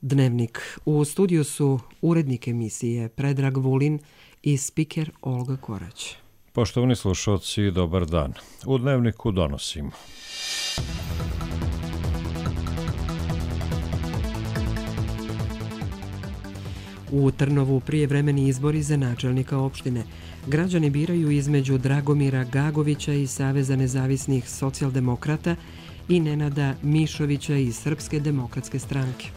Dnevnik. U studiju su urednik emisije Predrag Vulin i spiker Olga Korać. Poštovani slušalci, dobar dan. U Dnevniku donosimo. U Trnovu prijevremeni izbori za načelnika opštine. Građani biraju između Dragomira Gagovića iz Saveza nezavisnih socijaldemokrata i Nenada Mišovića iz Srpske demokratske stranke.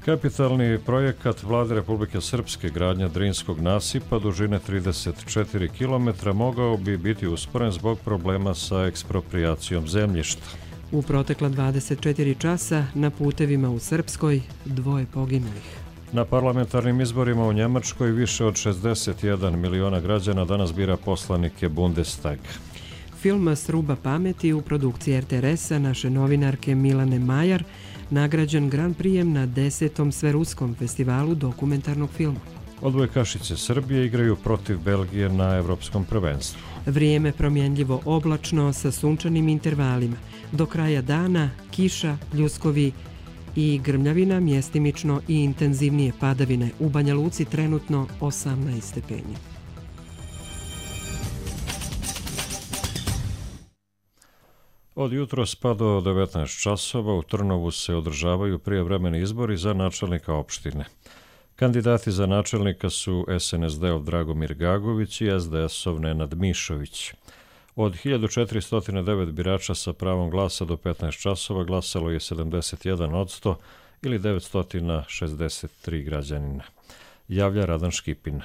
Kapitalni projekat Vlade Republike Srpske gradnja Drinskog nasipa dužine 34 km mogao bi biti usporen zbog problema sa eksproprijacijom zemljišta. U protekla 24 časa na putevima u Srpskoj 2 poginulih. Na parlamentarnim izborima u Njemačkoj više od 61 miliona građana danas bira poslanike Bundestaga. Film Sruba pameti u produkciji RTRS-a naše novinarke Milane Majar nagrađen Grand Prijem na 10. Sveruskom festivalu dokumentarnog filma. Odbojkašice Srbije igraju protiv Belgije na Evropskom prvenstvu. Vrijeme promjenljivo oblačno sa sunčanim intervalima. Do kraja dana kiša, pljuskovi i grmljavina, mjestimično i intenzivnije padavine. U Banja Luci trenutno 18 stepeni. Od jutros pa do 19 časova u Trnovu se održavaju prijevremeni izbori za načelnika opštine. Kandidati za načelnika su SNSD-ov Dragomir Gagović i SDS-ov Nenad Mišović. Od 1409 birača sa pravom glasa do 15 časova glasalo je 71% ili 963 građanina. Javlja Radan Škipin.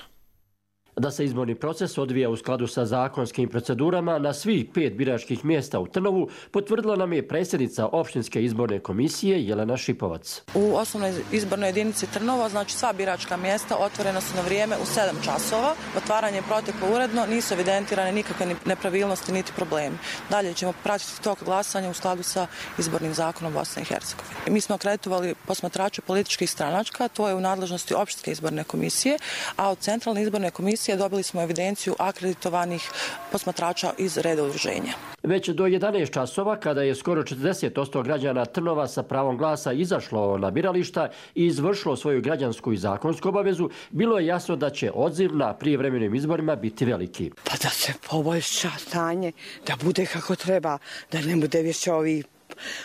Da se izborni proces odvija u skladu sa zakonskim procedurama na svih 5 biračkih mjesta u Trnovu potvrdila nam je predsjednica opštinske izborne komisije Jelena Šipovac. U osnovnoj izbornoj jedinici Trnova, znači sva biračka mjesta otvorena su na vrijeme u 7 časova. Otvaranje je proteklo uredno, nisu evidentirane nikakve nepravilnosti niti problemi. Dalje ćemo pratiti tok glasanja u skladu sa izbornim zakonom Bosne i Hercegovine. Mi smo akreditovali posmatrače političkih stranačka, to je u nadležnosti opštinske izborne komisije, a od centralne izborne komisije dobili smo evidenciju akreditovanih posmatrača iz reda udruženja. Već do 11 časova, kada je skoro 40% građana Trnova sa pravom glasa izašlo na birališta i izvršilo svoju građansku i zakonsku obavezu, bilo je jasno da će odziv na prijevremenim izborima biti veliki. Pa da se poboljša stanje, da bude kako treba, da ne bude više ovih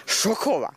šokova.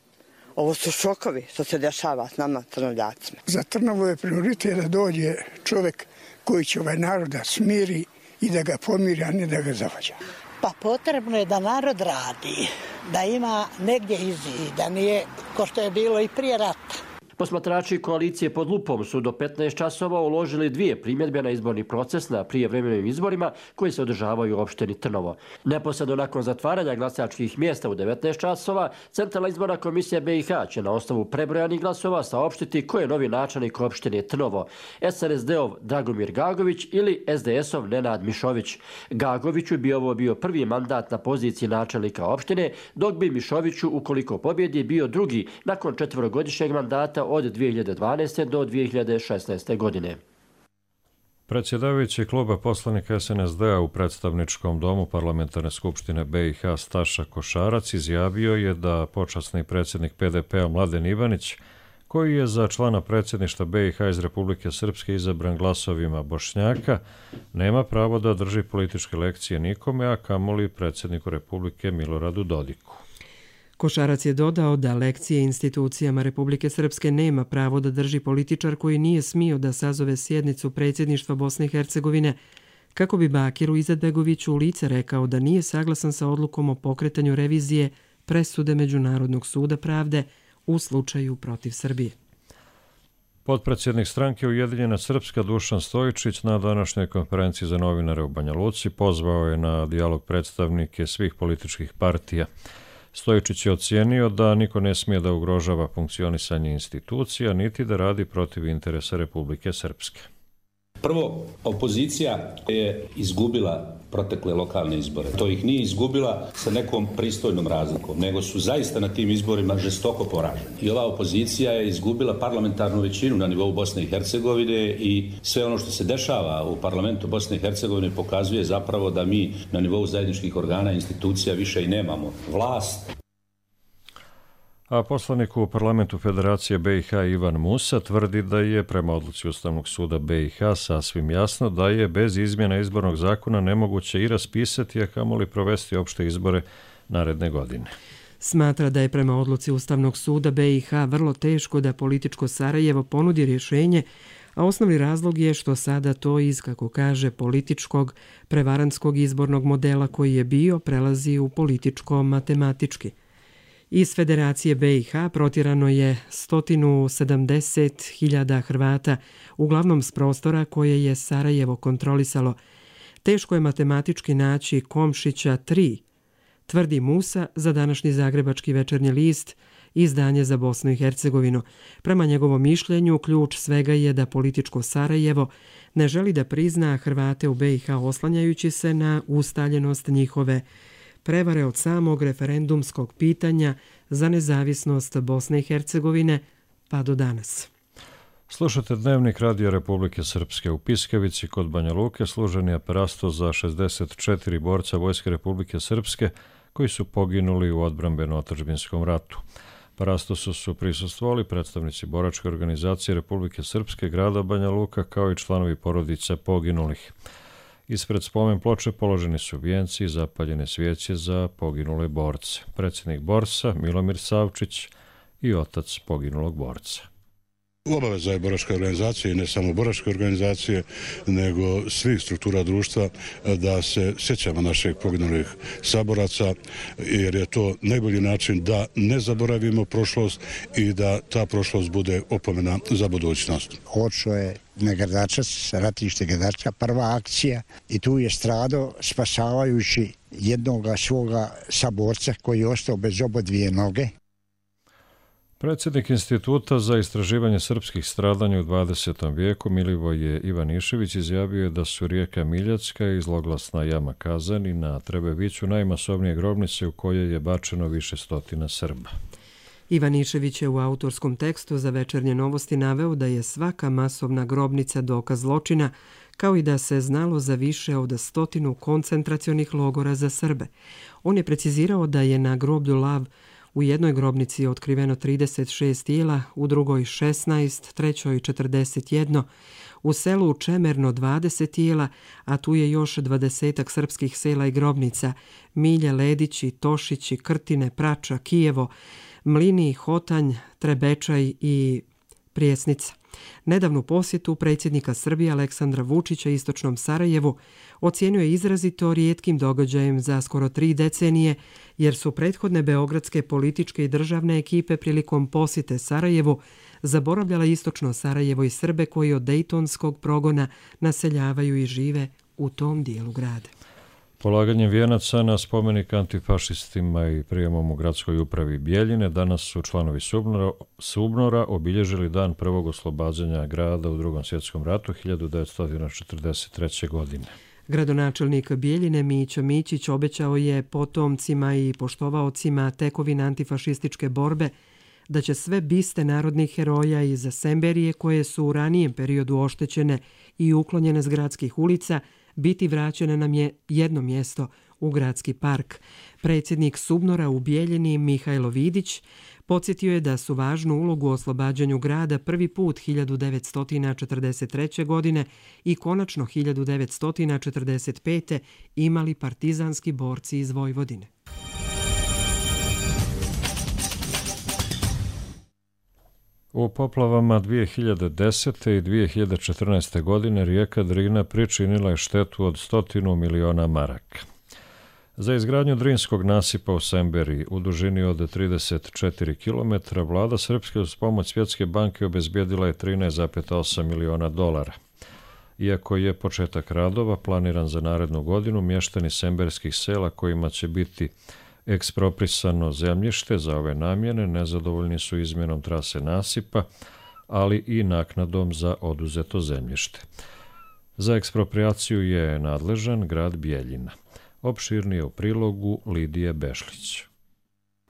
Ovo su šokovi što se dešava s nama Trnovljacima. Za Trnovu je prioritet da dođe čovjek koji će ovaj narod da smiri i da ga pomiri, a ne da ga zavađa. Pa potrebno je da narod radi, da ima negdje izid, da nije ko što je bilo i prije rata. Posmatrači koalicije pod lupom su do 15 časova uložili 2 primjedbe na izborni proces na prijevremenim izborima koji se održavaju u opštini Trnovo. Neposredno nakon zatvaranja glasačkih mjesta u 19 časova, Centralna izborna komisija BiH će na osnovu prebrojanih glasova saopštiti ko je novi načelnik opštine Trnovo, SNSD-ov Dragomir Gagović ili SDS-ov Nenad Mišović. Gagoviću bi ovo bio prvi mandat na poziciji načelnika opštine, dok bi Mišoviću, ukoliko pobjedi, bio drugi nakon 4-godišnjeg mandata od 2012. do 2016. godine. Predsjedavajući kluba poslanika SNSD-a u predstavničkom domu Parlamentarne skupštine BiH Staša Košarac izjavio je da počasni predsjednik PDP-a Mladen Ivanić, koji je za člana predsjedništva BiH iz Republike Srpske izabran glasovima Bošnjaka, nema pravo da drži političke lekcije nikome, a kamoli predsjedniku Republike Miloradu Dodiku. Košarac je dodao da lekcije institucijama Republike Srpske nema pravo da drži političar koji nije smio da sazove sjednicu predsjedništva Bosne i Hercegovine, kako bi Bakiru Izetbegoviću u lice rekao da nije saglasan sa odlukom o pokretanju revizije presude Međunarodnog suda pravde u slučaju protiv Srbije. Potpredsjednik stranke Ujedinjena Srpska Dušan Stojičić na današnjoj konferenciji za novinare u Banja Luci pozvao je na dijalog predstavnike svih političkih partija. Stojičić je ocijenio da niko ne smije da ugrožava funkcionisanje institucija, niti da radi protiv interesa Republike Srpske. Prvo, opozicija je izgubila protekle lokalne izbore. To ih nije izgubila sa nekom pristojnom razlikom, nego su zaista na tim izborima žestoko poraženi. I ova opozicija je izgubila parlamentarnu većinu na nivou Bosne i Hercegovine i sve ono što se dešava u parlamentu Bosne i Hercegovine pokazuje zapravo da mi na nivou zajedničkih organa i institucija više i nemamo vlast. A poslanik u parlamentu Federacije BiH Ivan Musa tvrdi da je prema odluci Ustavnog suda BiH sasvim jasno da je bez izmjena izbornog zakona nemoguće i raspisati, a kamoli provesti opšte izbore naredne godine. Smatra da je prema odluci Ustavnog suda BiH vrlo teško da političko Sarajevo ponudi rješenje, a osnovni razlog je što sada to iz, kako kaže, političkog prevarantskog izbornog modela koji je bio prelazi u političko-matematički. Iz Federacije BiH protjerano je 170.000 Hrvata, uglavnom s prostora koje je Sarajevo kontrolisalo. Teško je matematički naći Komšića 3, tvrdi Musa za današnji Zagrebački večernji list, izdanje za Bosnu i Hercegovinu. Prema njegovom mišljenju, ključ svega je da političko Sarajevo ne želi da prizna Hrvate u BiH oslanjajući se na ustaljenost njihove prevare od samog referendumskog pitanja za nezavisnost Bosne i Hercegovine pa do danas. Slušate Dnevnik Radija Republike Srpske. U Piskavici kod Banja Luke služen je parasto za 64 borca Vojske Republike Srpske koji su poginuli u odbrambeno-otadžbinskom ratu. Parastosu su prisustvovali predstavnici boračke organizacije Republike Srpske, grada Banja Luka, kao i članovi porodica poginulih. Ispred spomen ploče položeni su vijenci i zapaljene svijeće za poginule borce. Predsjednik borca Milomir Savčić i otac poginulog borca. Obaveza je boračke organizacije i ne samo boračke organizacije, nego svih struktura društva da se sjećamo naših poginulih saboraca, jer je to najbolji način da ne zaboravimo prošlost i da ta prošlost bude opomena za budućnost. Očeo je na Grdačac, ratište Grdačka, prva akcija i tu je stradao spasavajući jednog svoga saborca koji je ostao bez obodvije noge. Predsjednik Instituta za istraživanje srpskih stradanja u 20. vijeku Milivoje Ivanišević izjavio je da su rijeka Miljacka i zloglasna jama Kazani na Trebeviću najmasovnije grobnice u kojoj je bačeno više stotina Srba. Ivanišević je u autorskom tekstu za Večernje novosti naveo da je svaka masovna grobnica dokaz zločina, kao i da se znalo za više od 100 koncentracionih logora za Srbe. On je precizirao da je na groblju Lav u jednoj grobnici je otkriveno 36 tijela, u drugoj 16, trećoj 41, u selu Čemerno 20 tijela, a tu je još 20 srpskih sela i grobnica, Milje, Ledići, Tošići, Krtine, Prača, Kijevo, Mlini, Hotanj, Trebečaj i Prijesnica. Nedavnu posjetu predsjednika Srbije Aleksandra Vučića istočnom Sarajevu ocijenio je izrazito rijetkim događajem za skoro 3 decenije, jer su prethodne beogradske političke i državne ekipe prilikom posjete Sarajevu zaboravljala istočno Sarajevo i Srbe koji od dejtonskog progona naseljavaju i žive u tom dijelu grada. Polaganjem vijenaca na spomenik antifašistima i prijemom u gradskoj upravi Bijeljine danas su članovi SUBNOR-a obilježili dan prvog oslobađanja grada u Drugom svjetskom ratu 1943. godine. Gradonačelnik Bijeljine Mića Mićić obećao je potomcima i poštovaocima tekovina antifašističke borbe da će sve biste narodnih heroja iz Semberije koje su u ranijem periodu oštećene i uklonjene s gradskih ulica biti vraćene na jedno mjesto u gradski park. Predsjednik SUBNOR-a u Bijeljini Mihajlo Vidić podsjetio je da su važnu ulogu u oslobađanju grada prvi put 1943. godine i konačno 1945. imali partizanski borci iz Vojvodine. U poplavama 2010. i 2014. godine rijeka Drina pričinila je štetu od 100 miliona maraka. Za izgradnju Drinskog nasipa u Semberiji u dužini od 34 km vlada Srpske uz pomoć Svjetske banke obezbijedila je 13,8 miliona dolara. Iako je početak radova planiran za narednu godinu, mještani semberskih sela kojima će biti eksproprisano zemljište za ove namjene nezadovoljni su izmjenom trase nasipa, ali i naknadom za oduzeto zemljište. Za ekspropriaciju je nadležan grad Bijeljina. Opširnije u prilogu Lidije Bešlić.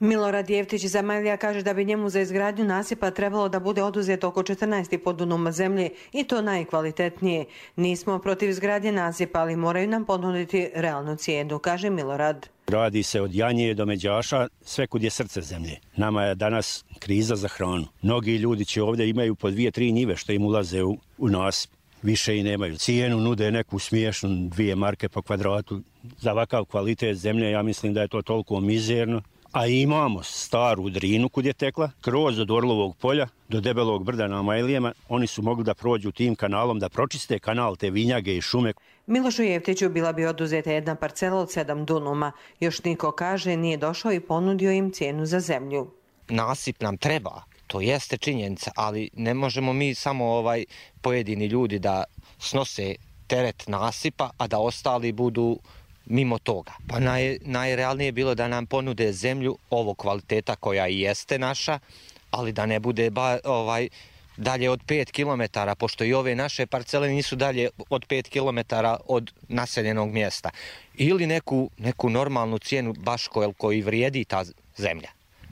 Milorad Jeftić iz Amajlija kaže da bi njemu za izgradnju nasipa trebalo da bude oduzeto oko 14,5 dunuma zemlje i to najkvalitetnije. Nismo protiv izgradnje nasipa, ali moraju nam ponuditi realnu cijenu, kaže Milorad. Radi se od Janje do Međaša, sve kud je srce zemlje. Nama je danas kriza za hranu. Mnogi ljudi će ovdje imaju po 2-3 njive što im ulaze u nasip. Više i nemaju. Cijenu nude neku smiješnu 2 marke po kvadratu. Za ovakav kvalitet zemlje ja mislim da je to toliko mizerno. A imamo staru Drinu kud je tekla, kroz od Orlovog polja do Debelog brda na Amajlijama. Oni su mogli da prođu tim kanalom, da pročiste kanal te vinjage i šume. Milošu Jeftiću bila bi oduzeta jedna parcela od 7 dunuma. Još niko, kaže, nije došao i ponudio im cijenu za zemlju. Nasip nam treba, to jeste činjenica, ali ne možemo mi samo pojedini ljudi da snose teret nasipa, a da ostali budu mimo toga. Pa najrealnije je bilo da nam ponude zemlju ovog kvaliteta koja i jeste naša, ali da ne bude dalje od 5 km, pošto i ove naše parcele nisu dalje od 5 km od naseljenog mjesta. Ili neku normalnu cijenu baš koji vrijedi ta zemlja,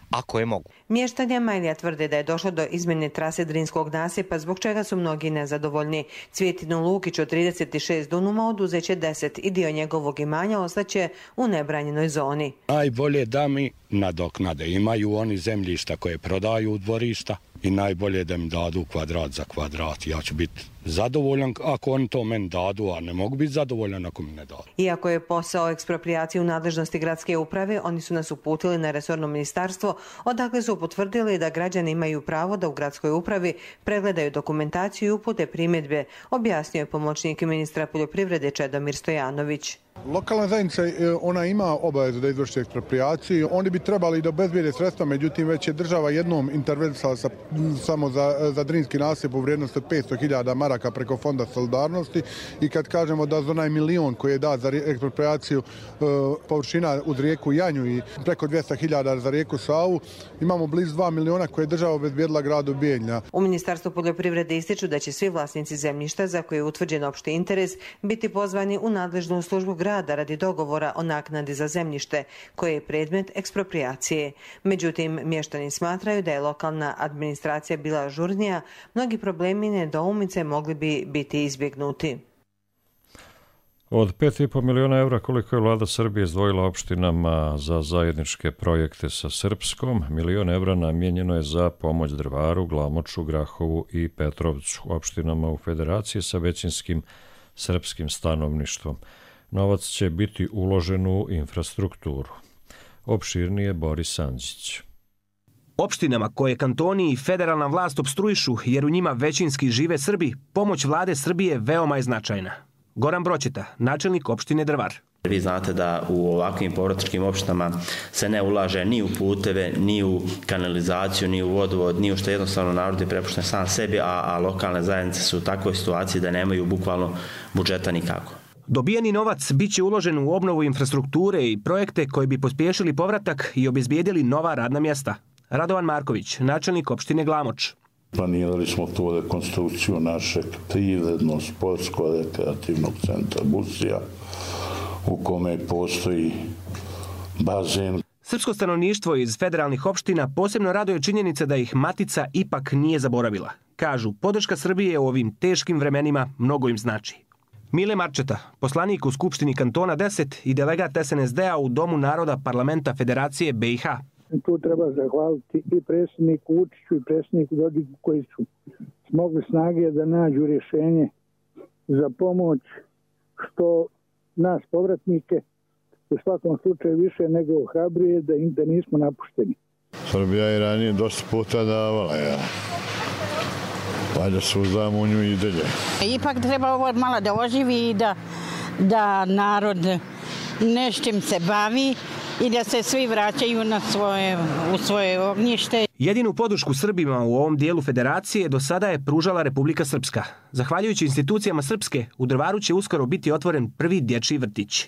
ako je mogu. Mještani Amajlija tvrde da je došlo do izmjene trase Drinskog nasipa, zbog čega su mnogi nezadovoljni. Cvjetinu Lukić od 36 dunuma oduzeće 10 i dio njegovog imanja ostaće u nebranjenoj zoni. Najbolje da mi nadoknade. Imaju oni zemljišta koje prodaju u dvorišta i najbolje da mi dadu kvadrat za kvadrat. Ja ću biti zadovoljan ako oni to meni dadu, a ne mogu biti zadovoljan ako mi ne dadu. Iako je posao eksproprijacije u nadležnosti gradske uprave, oni su nas uputili na resorno ministarstvo, odakle su potvrdili da građani imaju pravo da u gradskoj upravi pregledaju dokumentaciju i upute primjedbe, objasnio je pomoćnik ministra poljoprivrede Čedomir Stojanović. Lokalna zajednica ona ima obavezu da izvrši eksproprijaciju. Oni bi trebali da obezbijede sredstva, međutim već je država jednom intervenisala samo za Drinski nasip u vrijednosti od 500.000 maraka preko Fonda solidarnosti i kad kažemo da za onaj milion koji je dat za eksproprijaciju površina uz rijeku Janju i preko 200.000 za rijeku Savu, imamo blizu 2 miliona koje je država obezbijedila gradu Bijeljina. U Ministarstvu poljoprivrede ističu da će svi vlasnici zemljišta za koje je utvrđen opšti interes biti pozvani u nadležnu službu grada radi dogovora o naknadi za zemljište koje je predmet eksproprijacije. Međutim, mještani smatraju da je lokalna administracija bila ažurnija, mnogi problemi i nedoumice mogli bi biti izbjegnuti. Od 5,5 miliona evra koliko je vlada Srbije izdvojila opštinama za zajedničke projekte sa Srpskom, 1 milion evra namijenjeno je za pomoć Drvaru, Glamoču, Grahovu i Petrovcu, opštinama u federaciji sa većinskim srpskim stanovništvom. Novac će biti uložen u infrastrukturu. Opširnije Boris Andžić. Opštinama koje kantoni i federalna vlast opstruišu jer u njima većinski žive Srbi, pomoć vlade Srbije veoma je značajna. Goran Broćeta, načelnik opštine Drvar. Vi znate da u ovakvim povratničkim opštinama se ne ulaže ni u puteve, ni u kanalizaciju, ni u vodovod, ni u što jednostavno narod je prepušten sam sebi, a lokalne zajednice su u takvoj situaciji da nemaju bukvalno budžeta nikako. Dobijeni novac bit će uložen u obnovu infrastrukture i projekte koji bi pospješili povratak i obezbijedili nova radna mjesta. Radovan Marković, načelnik opštine Glamoč. Planirali smo tu rekonstrukciju našeg privredno-sportsko-rekreativnog centra Busija, u kome postoji bazen. Srpsko stanovništvo iz federalnih opština posebno raduje činjenica da ih Matica ipak nije zaboravila. Kažu, podrška Srbije u ovim teškim vremenima mnogo im znači. Mile Marčeta, poslanik u Skupštini kantona 10 i delegat SNSD-a u Domu naroda Parlamenta Federacije BiH. Tu treba zahvaliti i predsjedniku Vučiću i predsjedniku Dodiku koji su smogli snage da nađu rješenje za pomoć što nas povratnike u svakom slučaju više nego ohrabruje da nismo napušteni. Srbija je ranije dosta puta davala, valjda se uzdamo u nju i dalje. Ipak treba ovo malo da oživi i da narod nečim se bavi i da se svi vraćaju u svoje ognjište. Jedinu podršku Srbima u ovom dijelu federacije do sada je pružala Republika Srpska. Zahvaljujući institucijama Srpske, u Drvaru će uskoro biti otvoren prvi dječji vrtić.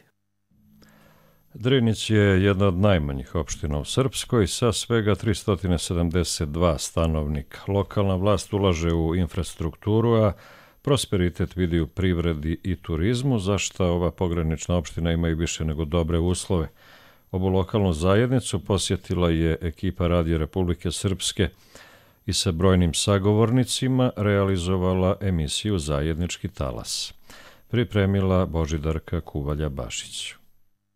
Drinić je jedna od najmanjih opština u Srpskoj sa svega 372 stanovnika. Lokalna vlast ulaže u infrastrukturu, a prosperitet vidi u privredi i turizmu, za što ova pogranična opština ima i više nego dobre uslove. Ovu lokalnu zajednicu posjetila je ekipa Radija Republike Srpske i sa brojnim sagovornicima realizovala emisiju Zajednički talas. Pripremila Božidarka Kuvalja-Bašić.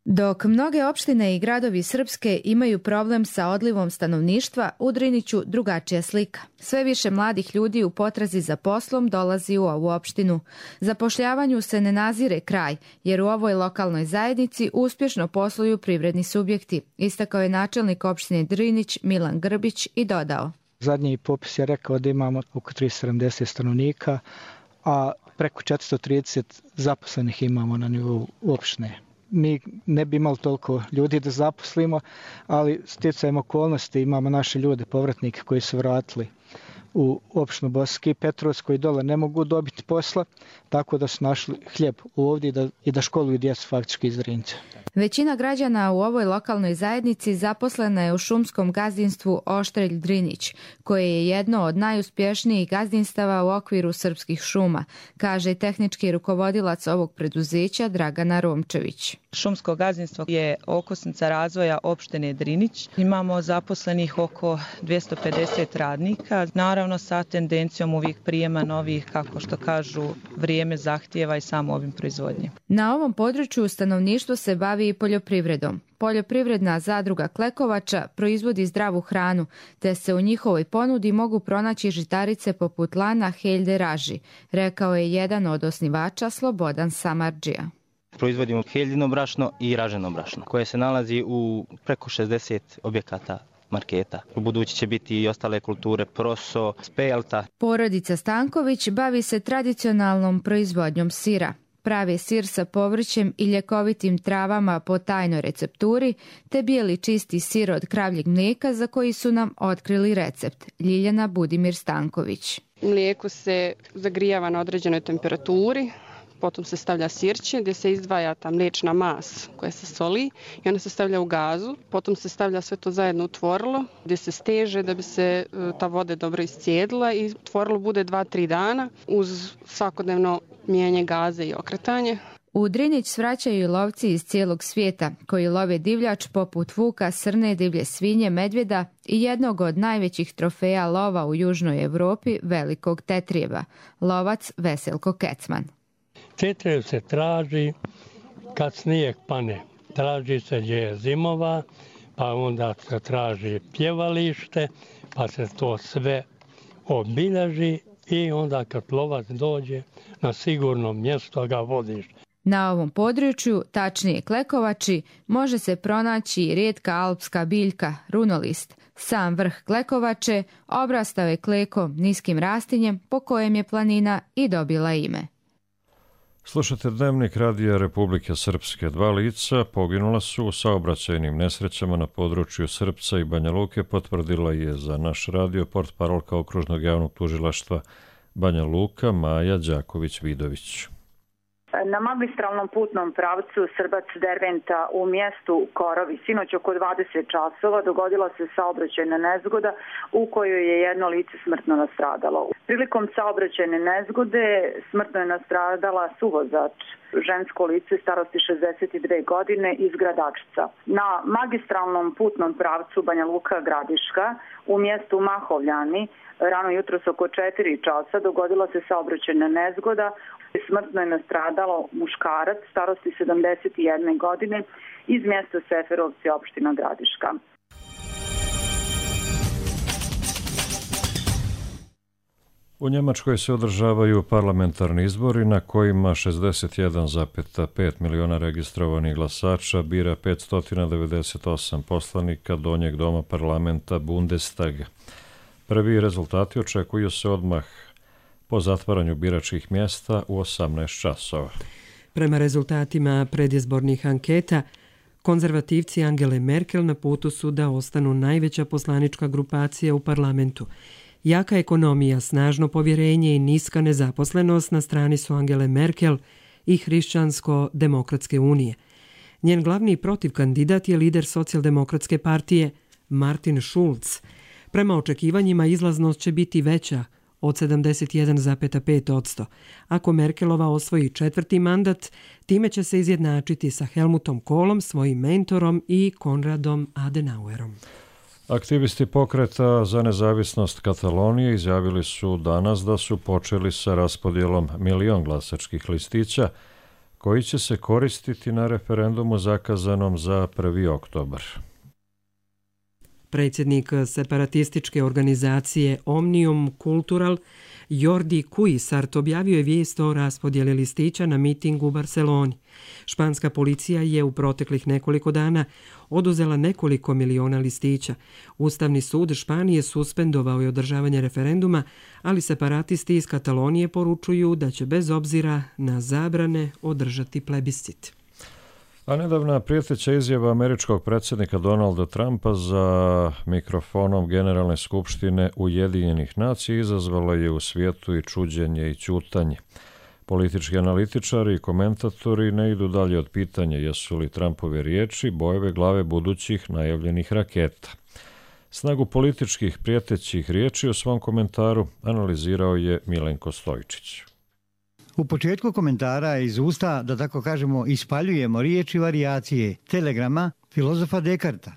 Dok mnoge opštine i gradovi Srpske imaju problem sa odlivom stanovništva, u Driniću drugačija slika. Sve više mladih ljudi u potrazi za poslom dolazi u ovu opštinu. Zapošljavanju se ne nazire kraj, jer u ovoj lokalnoj zajednici uspješno posluju privredni subjekti, istakao je načelnik opštine Drinić Milan Grbić i dodao. Zadnji popis je rekao da imamo oko 370 stanovnika, a preko 430 zaposlenih imamo na nivou opštine. Mi ne bi imali toliko ljudi da zaposlimo, ali stjecajem okolnosti imamo naše ljude, povratnike koji su vratili u opštinu Bosanski Petrovec, koji dole ne mogu dobiti posla, tako da su našli hljeb ovdje i da školuju djecu faktički iz Drinca. Većina građana u ovoj lokalnoj zajednici zaposlena je u šumskom gazdinstvu Oštrelj Drinić, koje je jedno od najuspješnijih gazdinstava u okviru srpskih šuma, kaže i tehnički rukovodilac ovog preduzeća Dragana Romčević. Šumsko gazdinstvo je okosnica razvoja opštine Drinić. Imamo zaposlenih oko 250 radnika, naravno sa tendencijom uvijek prijema novih, kako što kažu, vrijeme zahtijeva i samo ovim proizvodnje. Na ovom području stanovništvo se bavi i poljoprivredom. Poljoprivredna zadruga Klekovača proizvodi zdravu hranu, te se u njihovoj ponudi mogu pronaći žitarice poput lana, heljde, raži, rekao je jedan od osnivača Slobodan Samardžija. Proizvodimo heljino brašno i raženo brašno, koje se nalazi u preko 60 objekata marketa. U budući će biti i ostale kulture, proso, spelta. Porodica Stanković bavi se tradicionalnom proizvodnjom sira. Pravi sir sa povrćem i ljekovitim travama po tajnoj recepturi, te bijeli čisti sir od kravljeg mlijeka za koji su nam otkrili recept. Ljiljana Budimir Stanković. Mlijeko se zagrijava na određenoj temperaturi, potom se stavlja sirće gdje se izdvaja ta mliječna mas koja se soli i ona se stavlja u gazu, potom se stavlja sve to zajedno u tvorilo gdje se steže da bi se ta voda dobro iscijedila i tvorilo bude 2-3 dana uz svakodnevno mijenjanje gaze i okretanje. U Drinić svraćaju i lovci iz cijelog svijeta koji love divljač poput vuka, srne, divlje svinje, medvjeda i jednog od najvećih trofeja lova u Južnoj Europi, velikog tetrijeva, lovac Veselko Kecman. Tetrijev se traži kad snijeg pane, traži se gdje je zimova, pa onda se traži pjevalište, pa se to sve obilježi i onda kad lovac dođe na sigurno mjesto ga vodiš. Na ovom području, tačnije Klekovači, može se pronaći rijetka alpska biljka, runolist. Sam vrh Klekovače obrastao je klekom, niskim rastinjem po kojem je planina i dobila ime. Slušate Dnevnik Radija Republike Srpske. 2 lica poginula su u saobraćajnim nesrećama na području Srpca i Banja Luke, potvrdila je za naš radio portparolka Okružnog javnog tužilaštva Banja Luka Maja Đaković-Vidović. Na magistralnom putnom pravcu Srbac-Derventa u mjestu Korovi sinoć oko 20 časova dogodila se saobraćajna nezgoda u kojoj je jedno lice smrtno nastradalo. Prilikom saobraćajne nezgode smrtno je nastradala suvozač, žensko lice starosti 62 godine iz Gradačca. Na magistralnom putnom pravcu Banja Luka-Gradiška u mjestu Mahovljani rano jutros oko 4 časa dogodila se saobraćajna nezgoda. Smrtno je nastradalo muškarac starosti 71 godine iz mjesta Seferovci, opština Gradiška. U Njemačkoj se održavaju parlamentarni izbori na kojima 61,5 miliona registrovanih glasača bira 598 poslanika donjeg doma parlamenta Bundestaga. Prvi rezultati očekuju se odmah po zatvaranju biračkih mjesta u 18 časova. Prema rezultatima predizbornih anketa, konzervativci Angele Merkel na putu su da ostanu najveća poslanička grupacija u parlamentu. Jaka ekonomija, snažno povjerenje i niska nezaposlenost na strani su Angele Merkel i Hrišćansko-demokratske unije. Njen glavni protivkandidat je lider socijaldemokratske partije Martin Schulz. Prema očekivanjima izlaznost će biti veća od 71,5%. Ako Merkelova osvoji 4. mandat, time će se izjednačiti sa Helmutom Kohlom, svojim mentorom, i Konradom Adenauerom. Aktivisti pokreta za nezavisnost Katalonije izjavili su danas da su počeli sa raspodjelom 1 milion glasačkih listića koji će se koristiti na referendumu zakazanom za 1. oktobar. Predsjednik separatističke organizacije Omnium Cultural Jordi Cuixart objavio je vijest o raspodjeli listića na mitingu u Barceloni. Španska policija je u proteklih nekoliko dana oduzela nekoliko miliona listića. Ustavni sud Španije suspendovao je održavanje referenduma, ali separatisti iz Katalonije poručuju da će bez obzira na zabrane održati plebiscit. A nedavna prijeteća izjava američkog predsjednika Donalda Trumpa za mikrofonom Generalne skupštine Ujedinjenih nacija izazvala je u svijetu i čuđenje i ćutanje. Politički analitičari i komentatori ne idu dalje od pitanja jesu li Trumpove riječi bojeve glave budućih najavljenih raketa. Snagu političkih prijetećih riječi u svom komentaru analizirao je Milenko Stojičić. U početku komentara iz usta, da tako kažemo, ispaljujemo riječi varijacije telegrama filozofa Dekarta,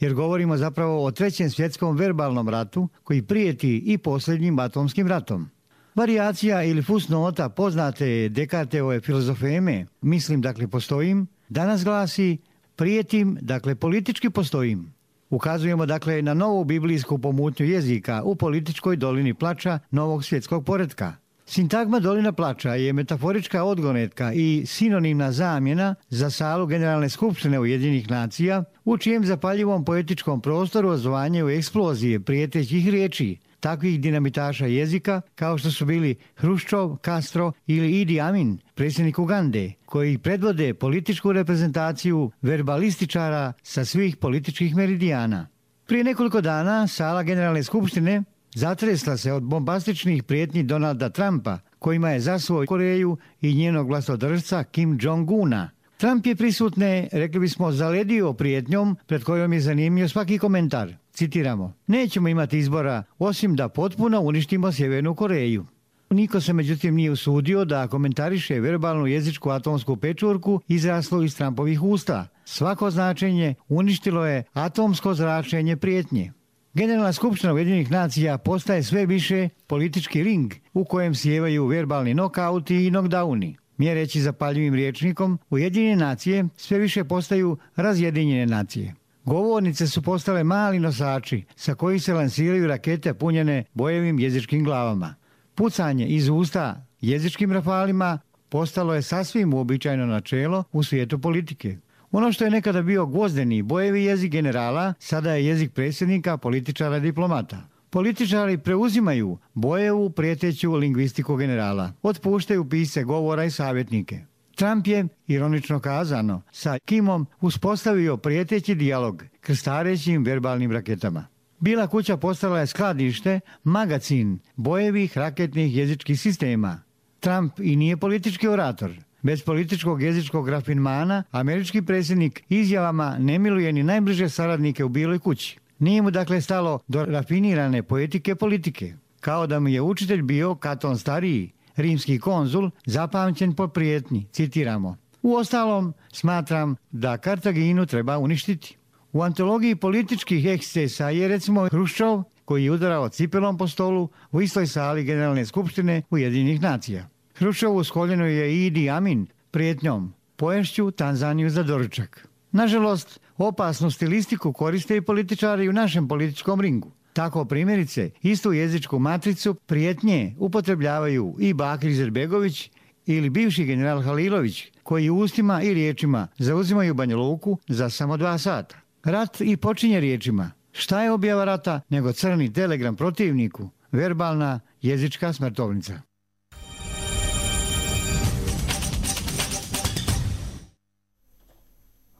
jer govorimo zapravo o 3. svjetskom verbalnom ratu koji prijeti i posljednjim atomskim ratom. Varijacija ili fusnota poznate Dekarteve filozofeme, mislim dakle postojim, danas glasi prijetim, dakle politički postojim. Ukazujemo dakle na novu biblijsku pomutnju jezika u političkoj dolini plača novog svjetskog poretka. Sintagma dolina plača je metaforička odgonetka i sinonimna zamjena za salu Generalne skupštine Ujedinjenih nacija, u čijem zapaljivom poetičkom prostoru ozvanjaju eksplozije prijetećih riječi, takvih dinamitaša jezika kao što su bili Hruščov, Castro ili Idi Amin, predsjednik Ugande, koji predvode političku reprezentaciju verbalističara sa svih političkih meridijana. Prije nekoliko dana sala Generalne skupštine zatresla se od bombastičnih prijetnji Donalda Trumpa, kojima je zasuo Koreju i njenog vlastodržca Kim Jong-una. Trump je prisutne, rekli bismo, zaledio prijetnjom pred kojom je zanimljiv svaki komentar. Citiramo: nećemo imati izbora osim da potpuno uništimo Sjevernu Koreju. Niko se međutim nije usudio da komentariše verbalnu jezičku atomsku pečurku izraslu iz Trumpovih usta. Svako značenje uništilo je atomsko zračenje prijetnje. Generalna skupština Ujedinjenih nacija postaje sve više politički ring u kojem sjevaju verbalni nokauti i knockdowni. Mjereći zapaljivim rječnikom, Ujedinjene nacije sve više postaju razjedinjene nacije. Govornice su postale mali nosači sa kojih se lansiraju rakete punjene bojevim jezičkim glavama. Pucanje iz usta jezičkim rafalima postalo je sasvim uobičajeno načelo u svijetu politike. Ono što je nekada bio gvozdeni bojevi jezik generala, sada je jezik predsjednika, političara i diplomata. Političari preuzimaju bojevu prijeteću lingvistiku generala, otpuštaju pisce govora i savjetnike. Trump je, ironično kazano, sa Kimom uspostavio prijeteći dijalog, krstareći im verbalnim raketama. Bila kuća postala je skladište, magacin bojevih raketnih jezičkih sistema. Trump i nije politički orator. Bez političkog jezičkog rafinmana, američki predsjednik izjavama ne miluje ni najbliže saradnike u Biloj kući. Nije mu dakle stalo do rafinirane poetike politike. Kao da mu je učitelj bio Katon Stariji, rimski konzul, zapamćen po prijetnji, citiramo: uostalom, smatram da Kartaginu treba uništiti. U antologiji političkih ekscesa je recimo Hruščov, koji je udarao cipelom po stolu u istoj sali Generalne skupštine Ujedinjenih nacija. Hruščovu skoljeno je i Idi Amin prijetnjom: poješću Tanzaniju za doručak. Nažalost, opasnu stilistiku koriste i političari u našem političkom ringu. Tako primjerice, istu jezičku matricu prijetnje upotrebljavaju i Bakir Izetbegović ili bivši general Halilović, koji ustima i riječima zauzimaju Banja Luku za samo 2 sata. Rat i počinje riječima: šta je objava rata nego crni telegram protivniku, verbalna jezička smrtovnica.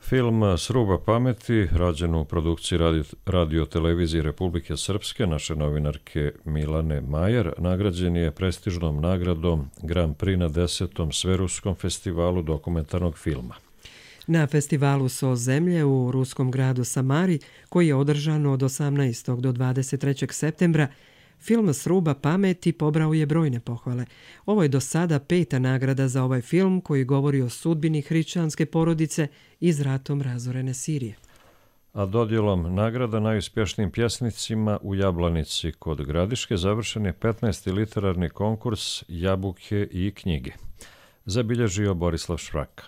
Film Sruba pameti, rađen u produkciji radio-televizije Republike Srpske, naše novinarke Milane Majer, nagrađen je prestižnom nagradom Grand Prix na 10. Sveruskom festivalu dokumentarnog filma. Na festivalu So zemlje u ruskom gradu Samari, koji je održan od 18. do 23. septembra, Film Sruba pameti pobrao je brojne pohvale. Ovo je do sada 5. nagrada za ovaj film koji govori o sudbini hrišćanske porodice iz ratom razorene Sirije. A dodjelom nagrada najuspješnijim pjesnicima u Jablanici kod Gradiške završen je 15. literarni konkurs Jabuke i knjige. Zabilježio Borislav Švraka.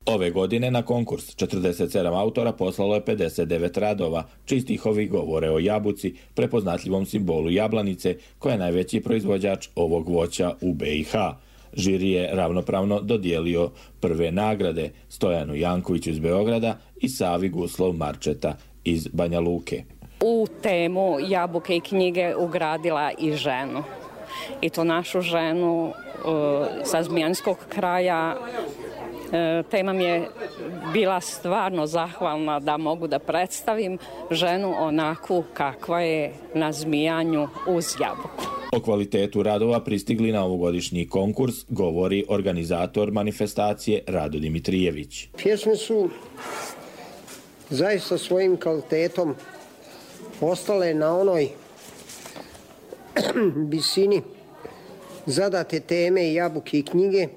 Ove godine na konkurs 47 autora poslalo je 59 radova, čiji stihovi govore o jabuci, prepoznatljivom simbolu Jablanice, koja je najveći proizvođač ovog voća u BiH. Žiri je ravnopravno dodijelio prve nagrade Stojanu Jankoviću iz Beograda i Savi Guslov Marčeta iz Banja Luke. U temu Jabuke i knjige ugradila i ženu. I to našu ženu sa zmijanskog kraja. Tema mi je bila stvarno zahvalna da mogu da predstavim ženu onakvu kakva je na Zmijanju uz jabuku. O kvalitetu radova pristigli na ovogodišnji konkurs govori organizator manifestacije Rado Dimitrijević. Pjesme su zaista svojim kvalitetom ostale na onoj visini zadate teme Jabuke i knjige,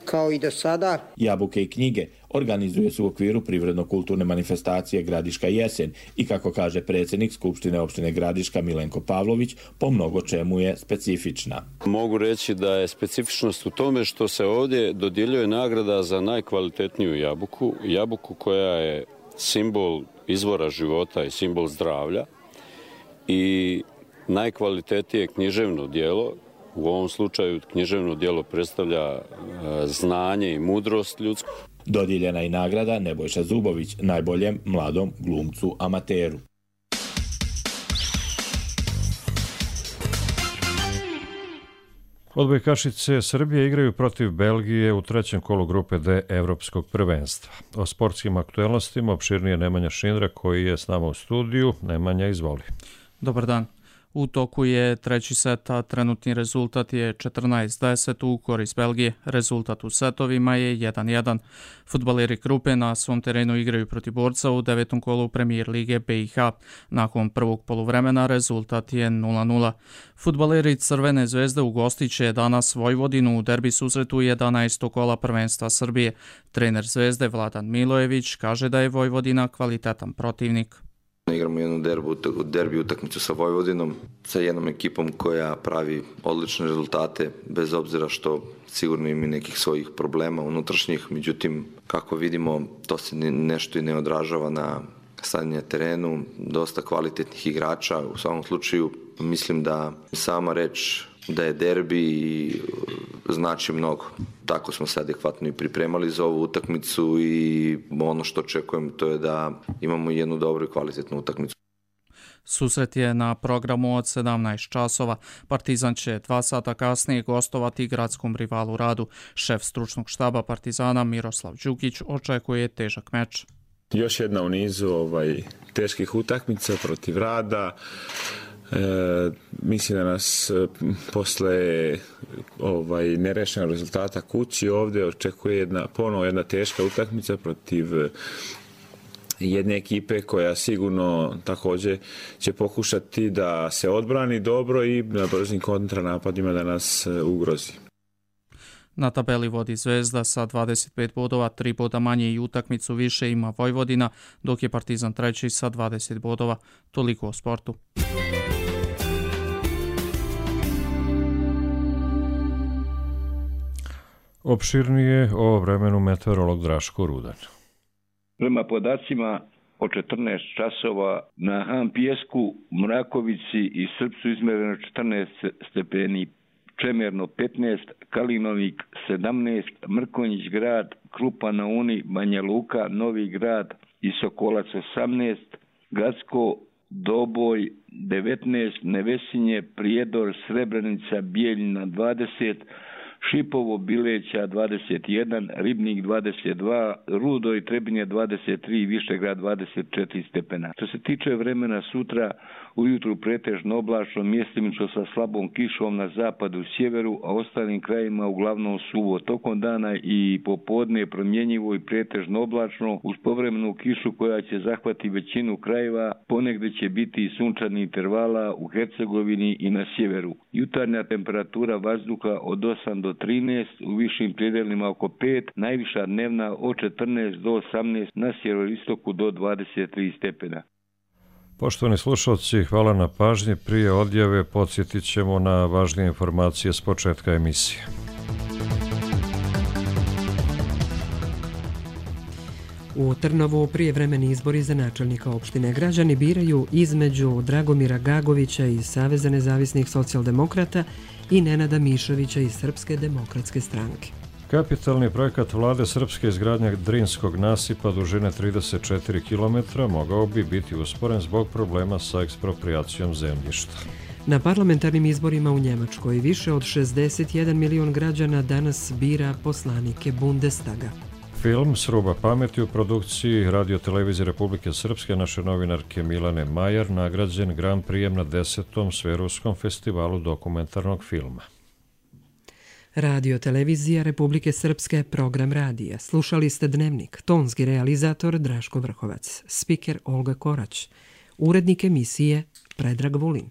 kao i do sada. Jabuke i knjige organizuje se u okviru privredno-kulturne manifestacije Gradiška jesen i, kako kaže predsjednik Skupštine opštine Gradiška Milenko Pavlović, po mnogo čemu je specifična. Mogu reći da je specifičnost u tome što se ovdje dodjeljuje nagrada za najkvalitetniju jabuku, jabuku koja je simbol izvora života i simbol zdravlja i najkvalitetnije književno djelo. U ovom slučaju književno djelo predstavlja znanje i mudrost ljudsku. Dodijeljena je nagrada Nebojša Zubović, najboljem mladom glumcu amateru. Odbojkašice Srbije igraju protiv Belgije u trećem kolu grupe D Evropskog prvenstva. O sportskim aktuelnostima opširnije Nemanja Šindra koji je s nama u studiju. Nemanja, izvoli. Dobar dan. U toku je treći set, a trenutni rezultat je 14-10 u korist Belgije. Rezultat u setovima je 1-1. Fudbaleri grupe na svom terenu igraju protiv Borca u 9. kolu Premijer lige BiH. Nakon prvog poluvremena rezultat je 0-0. Fudbaleri Crvene zvezde ugostiće danas Vojvodinu u derbi susretu 11. kola prvenstva Srbije. Trener Zvezde Vladan Milojević kaže da je Vojvodina kvalitetan protivnik. Igramo jednu derbi utakmicu sa Vojvodinom, sa jednom ekipom koja pravi odlične rezultate, bez obzira što sigurno ima nekih svojih problema unutrašnjih. Međutim, kako vidimo, to se nešto i ne odražava na stanje na terenu, dosta kvalitetnih igrača. U svakom slučaju, mislim da sama reč da je derbi znači mnogo. Tako smo se adekvatno i pripremali za ovu utakmicu i ono što očekujem to je da imamo jednu dobru i kvalitetnu utakmicu. Susret je na programu od 17 časova. Partizan će 2 sata kasnije gostovati gradskom rivalu Radu. Šef stručnog štaba Partizana Miroslav Đukić očekuje težak meč. Još jedna u nizu teških utakmica protiv Rada. Mislim da nas posle nerešenog rezultata kući ovdje očekuje ponovo jedna teška utakmica protiv jedne ekipe koja sigurno također će pokušati da se odbrani dobro i na brzim kontranapadima da nas ugrozi. Na tabeli vodi Zvezda sa 25 bodova, 3 boda manje i utakmicu više ima Vojvodina, dok je Partizan treći sa 20 bodova. Toliko o sportu. Opširnije o vremenu meteorolog Draško Rudan. Prema podacima o 14 časova na Han Pijesku, Mrakovici i Srpcu izmjereno 14 stepeni, Čemerno 15, Kalinovik 17, Mrkonjić grad, Krupa na Uni, Banja Luka, Novi grad i Sokolac 18, Gacko, Doboj 19, Nevesinje, Prijedor, Srebrenica, Bijeljina 20, Šipovo, Bileća 21, Ribnik 22, Rudo i Trebinje 23, Višegrad 24 stepena. Što se tiče vremena sutra, ujutru pretežno oblačno, mjestimično sa slabom kišom na zapadu, sjeveru, a ostalim krajima uglavnom suvo. Tokom dana i popodne promjenjivo i pretežno oblačno, uz povremenu kišu koja će zahvati većinu krajeva, ponegde će biti i sunčani intervala u Hercegovini i na sjeveru. Jutarnja temperatura vazduha od 8 do 13, u višim predelima oko 5, najviša dnevna od 14 do 18, na sjeveroistoku do 23 stepena. Poštovani slušalci, hvala na pažnji. Prije odjave podsjetit ćemo na važnije informacije s početka emisije. U Trnovu prijevremeni izbori za načelnika opštine građani biraju između Dragomira Gagovića iz Saveza nezavisnih socijaldemokrata i Nenada Mišovića iz Srpske demokratske stranke. Kapitalni projekat vlade Srpske izgradnja Drinskog nasipa dužine 34 km mogao bi biti usporen zbog problema sa ekspropriacijom zemljišta. Na parlamentarnim izborima u Njemačkoj više od 61 milion građana danas bira poslanike Bundestaga. Film Sruba pameti u produkciji Radio-televizije Republike Srpske naše novinarke Milane Majar nagrađen Grand Prijem na 10. Sveruskom festivalu dokumentarnog filma. Radio-televizija Republike Srpske, program radija. Slušali ste Dnevnik, tonski realizator Draško Vrhovac, spiker Olga Korać, urednik emisije Predrag Vulin.